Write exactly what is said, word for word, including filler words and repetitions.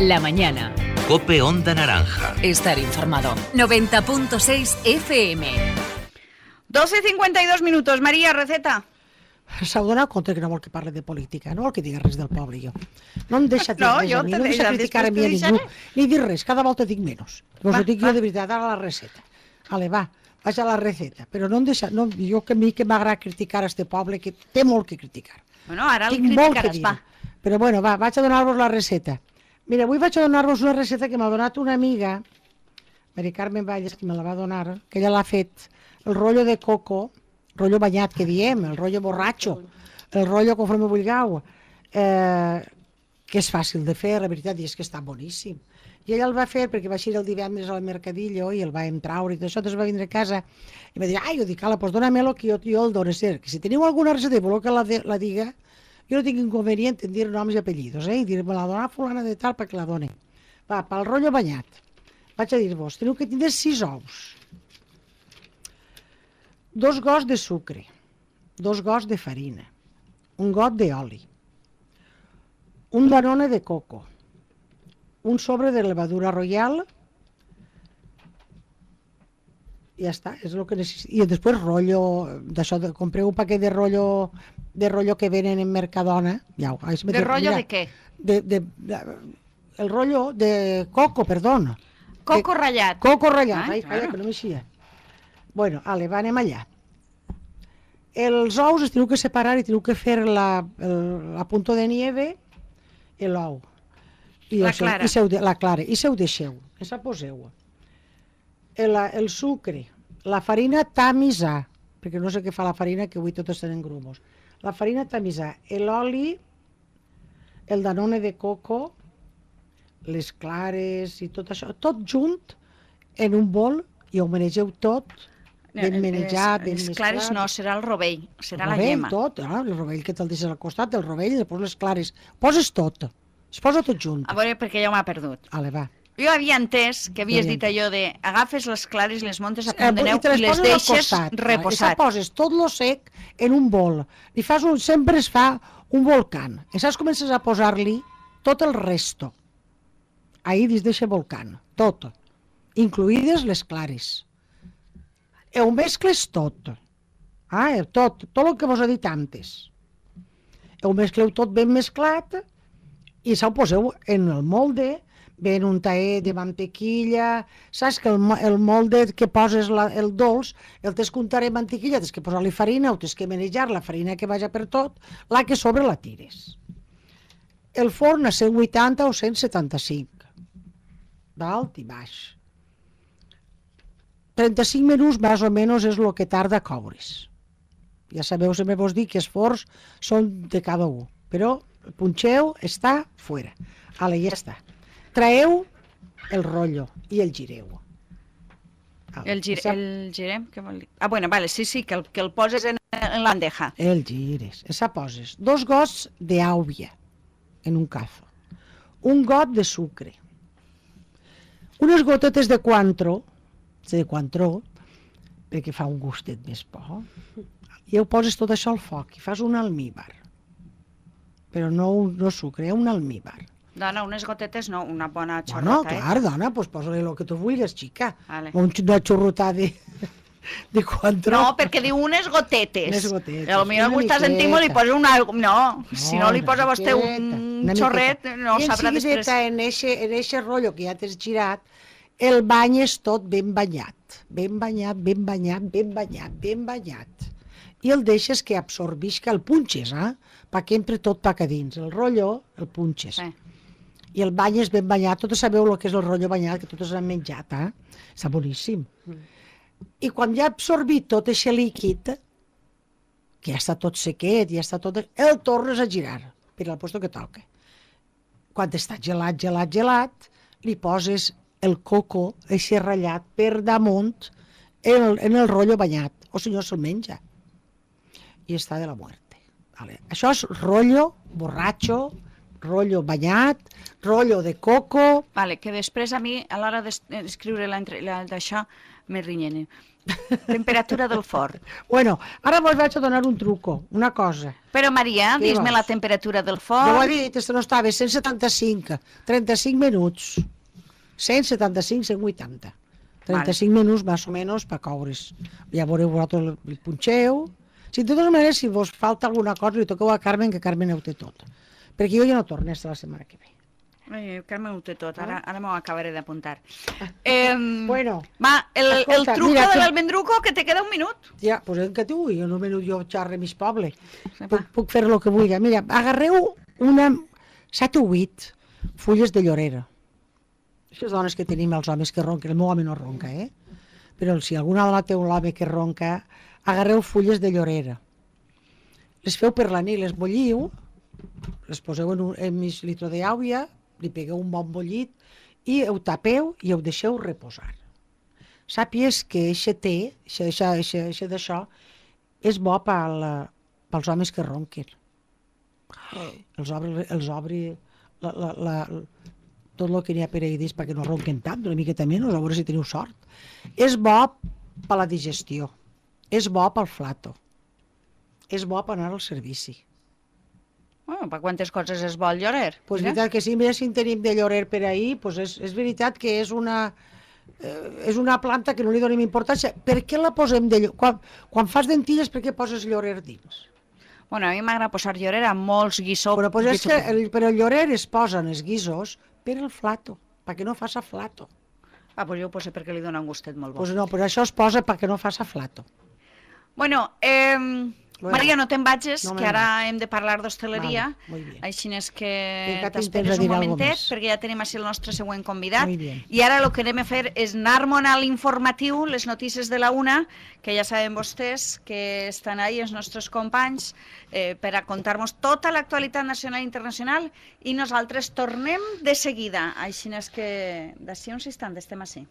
La mañana. COPE Onda Naranja. Estar informado. noventa punto seis F M. doce cincuenta y dos minutos. Maria, receta. S'ha donat compte que no vol que parli de política, no vol que digui res del poble, jo. No em deixa dir no, res a mi, no em deixa criticar a mi a ningú, ni dir res, cada volta dic menys. Us ho dic jo de veritat, ara la receta. Ale, va, vaig a la receta, però no em deixa, no, jo que a mi que m'agrada criticar a este poble, que té molt que criticar. Bueno, ara el Tinc molt que criticaràs, dir. va. Però bueno, va, vaig a donar-vos la receta. Mira, avui vaig a donar-vos una receta que m'ha donat una amiga, Mari Carmen Valles, que me la va donar, que ella l'ha fet, el rotllo de coco, rotllo banyat que diem, el rotllo borratxo, el rotllo conforme vulgueu, eh, que és fàcil de fer, la veritat, i és que està boníssim. I ella el va fer perquè va eixir el divendres al mercadillo i el va traure i tot això, després va vindre a casa i va dir, ai, jo dic, ala, pues dóna-me-lo que jo, jo el dono. Que si teniu alguna receta i voleu que la, de, la diga, jo no tinc inconvenient en dir noms i apellidos, eh? I dir, me la dona fulana de tal perquè la doni. Va, pel rotllo banyat, vaig a dir-vos, teniu que tindre sis ous, dos gots de sucre, dos gots de farina, un got d'oli, un danone de coco, un sobre de levadura royal, i ja està, és el que necessito. I després rotllo, d'això, de, compreu un paquet de rotllo, de rotllo que venen en Mercadona. Ja, de rotllo de què? De, de, de, el rotllo de coco, perdona. Coco de, ratllat. Coco ratllat, ah, ai, claro. calla, que no m'eixia. Bueno, ale, va, anem allà. Els ous es teniu que separar i teniu que fer la, el, la punto de nieve i l'ou. I la seu, clara. I seu de, la clara. I se ho deixeu, que se poseu. El, el sucre, la farina tamisar, perquè no sé què fa la farina, que avui totes tenen grumos. La farina tamisar, l'oli, el danone de coco, les clares i tot això, tot junt en un bol i ho manegeu tot, ben menjat, ben mesclat. Les clares no, serà el rovell, serà el la rovell, llema. Tot, ah, el rovell que te'l deixes al costat, el rovell, i després les clares. Poses tot, es posa tot junt. A veure, perquè ja m'ha perdut. Ale, va. Jo havia entès que havies dit allò de agafes les clares i les montes a punt de neu i, i les deixes I reposat. poses tot lo sec en un bol. I fas un, sempre es fa un volcán. I saps, comences a posar-li tot el resto. Ahí dins d'eixe volcán, tot. Incluïdes les clares. I ho mescles tot. Ah, tot, tot el que vos he dit antes. Ho mescleu tot ben mesclat i s'ho poseu en el molde, ben un taet de mantequilla, saps que el, el molde que poses la, el dolç, el tens que untar en mantequilla, tens que posar-li farina, o tens que manejar la farina que vaja per tot, la que sobre la tires. El forn a cent vuitanta o cent setanta-cinc, d'alt i baix. trenta-cinc minuts més o menys és el que tarda a coure's. Ja sabeu, sempre vos dic que els forns són de cada un, però el punxeu està fora. Ale, ja està. Traeu el rotllo i el gireu. El, gir, el girem? Què vol dir? Ah, bueno, vale, sí, sí, que el, que el poses en, en la bandeja. El gires. Esa poses dos gots d'àvia en un cazo, un got de sucre, unes gotetes de coantro, de coantró, perquè fa un gustet més bo, i ho poses tot això al foc i fas un almíbar. Però no, no sucre, un almíbar. Dona, unes gotetes no, una bona xorrota, no, clar, eh? dona, doncs posa-li el que tu vulguis, xica. Vale. Un, una xorrota de, de coantró. No, perquè diu unes gotetes. Unes gotetes. A lo millor algú està sentint i li posa una... No, no, si no li posa a vostè un una xorret, miqueta. no sabrà després. I en eixe, en eixe rotllo que ja t'has girat, el banyes tot ben banyat, ben banyat, ben banyat, ben banyat, ben banyat. I el deixes que absorbisca, el punxes, eh? Perquè entre tot pa que dins. El rotllo el punxes. Sí. I el banyes ben banyat, tots sabeu el que és el rotllo banyat, que tots han menjat, eh? Està boníssim. Mm. I quan ja ha absorbit tot aquest líquid, que ja està tot sequet, ja està tot... el tornes a girar, per al lloc que toca. Quan està gelat, gelat, gelat, li poses el coco, aquest ratllat, per damunt, en el, en el rotllo banyat, o si no se'l menja. I està de la muerte. Vale. Això és rotllo borratxo, rotllo banyat, rotllo de coco... Vale, que després a mi, a l'hora d'escriure d'això, me rinyene. Temperatura del forn. Bueno, ara vos vaig a donar un truco, una cosa. Però, Maria, dis-me la temperatura del forn. Jo ho he dit, és que no estava, cent setanta-cinc, trenta-cinc minuts. cent setanta-cinc, cent vuitanta. trenta-cinc vale. Minuts, més o menys, per coure's. Ja veureu vosaltres el punxeu. Si de totes maneres, si vos falta alguna cosa, li toqueu a Carmen, que Carmen ho té tot. Perquè jo ja no torno la setmana que ve. Ai, Carme ho té tot, ara, ara m'ho acabaré d'apuntar. Eh, bueno, va, el, escolta, el truco mira, de que... l'almendruco, que te queda un minut. Ja, doncs en què t'ho vull, en un minut jo xarre mis poble. Puc, puc fer el que vull. Mira, agarreu una set o vuit fulles de llorera. Aquestes dones que tenim els homes que ronquen, el meu home no ronca, eh? Però si alguna dona té un home que ronca, agarreu fulles de llorera. Les feu per la nit, les bulliu, les poseu en, un, en mig litre d'aigua, li pegueu un bon bullit i ho tapeu i ho deixeu reposar. Sàpies que aquest té, aquest d'això, és bo pel, pels homes que ronquen. Els obri, els obri la, la, la, tot el que n'hi ha per ahir perquè no ronquen tant, una miqueta menys, a veure si teniu sort. És bo per la digestió, és bo pel flato, és bo per anar al servici. Bueno, per quantes coses és bo el llorer? Pues mira? Veritat que sí, mira si en tenim de llorer per ahir, pues és, és veritat que és una, eh, és una planta que no li donem importància. Per què la posem de llorer? Quan, quan fas dentilles, per què poses llorer dins? Bueno, a mi m'agrada posar llorer a molts guissos. Però, pues és que el, però el llorer es posen els guissos per el flato, perquè no faça flato. Ah, pues jo ho poso perquè li dona un gustet molt bo. Pues no, però això es posa perquè no faça flato. Bueno, eh... Bueno, Maria, no te'n vagis, no que ara vaig. Hem de parlar d'hostaleria, vale, així és que t'esperes un momentet, perquè ja tenim així el nostre següent convidat, i ara el que anem a fer és anar-me'n a l'informatiu, les notícies de la una, que ja saben vostès que estan ahí els nostres companys eh, per a contar-nos tota l'actualitat nacional i internacional, i nosaltres tornem de seguida, així és que d'ací uns instants estem així.